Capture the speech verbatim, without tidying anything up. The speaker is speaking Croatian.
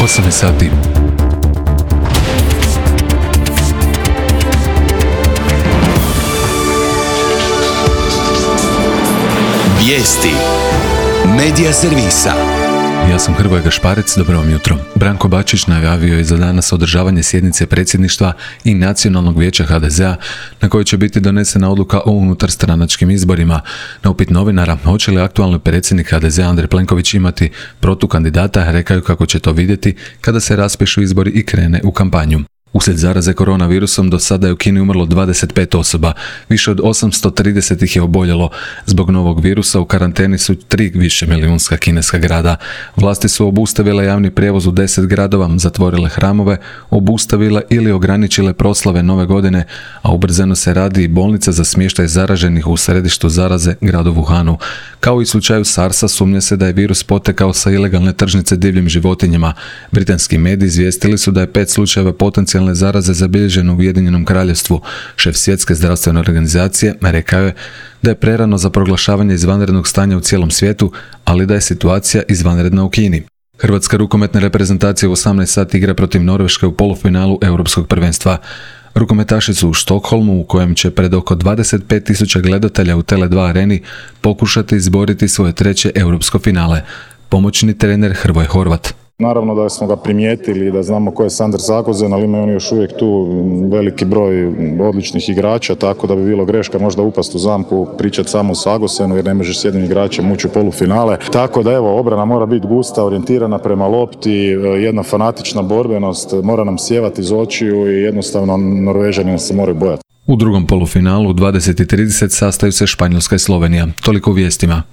osam sati. Vijesti Medija servisa. Ja sam Hrvoje Gašparec, dobro vam jutro. Branko Bačić najavio je za danas održavanje sjednice predsjedništva i Nacionalnog vijeća ha de zea na kojoj će biti donesena odluka o unutarstranačkim izborima. Na upit novinara hoće li aktualni predsjednik ha de zea Andrej Plenković imati protukandidata, rekao kako će to vidjeti kada se raspišu izbori i krene u kampanju. Uslijed zaraze koronavirusom do sada je u Kini umrlo dvadeset pet osoba, više od osamsto trideset ih je oboljelo. Zbog novog virusa u karanteni su tri višemilijunska kineska grada. Vlasti su obustavile javni prijevoz u deset gradova, zatvorile hramove, obustavile ili ograničile proslave nove godine, a ubrzano se radi i bolnica za smještaj zaraženih u središtu zaraze, gradu Wuhanu. Kao i u slučaju sarsa, sumnja se da je virus potekao sa ilegalne tržnice divljim životinjama. Britanski mediji izvijestili su da je pet slučajeva potencijalne zaraze zabilježeno u Ujedinjenom kraljevstvu. Šef Svjetske zdravstvene organizacije rekao je da je prerano za proglašavanje izvanrednog stanja u cijelom svijetu, ali da je situacija izvanredna u Kini. Hrvatska rukometna reprezentacija u osamnaest sati igra protiv Norveške u polufinalu Europskog prvenstva. Rukometaši su u Štokholmu, u kojem će pred oko dvadeset pet tisuća gledatelja u Tele dva areni pokušati izboriti svoje treće europsko finale. Pomoćni trener Hrvoje Horvat. Naravno da smo ga primijetili, da znamo ko je Sander Zagozen, ali imaju oni još uvijek tu veliki broj odličnih igrača, tako da bi bilo greška možda upast u zamku, pričati samo o Sagosenu jer ne možeš s jednim igračem ući u polufinale. Tako da evo, obrana mora biti gusta, orijentirana prema lopti, jedna fanatična borbenost, mora nam sjevati iz očiju i jednostavno Norvežani se moraju bojati. U drugom polufinalu u dvadeset i trideset sastaju se Španjolska i Slovenija. Toliko u vijestima.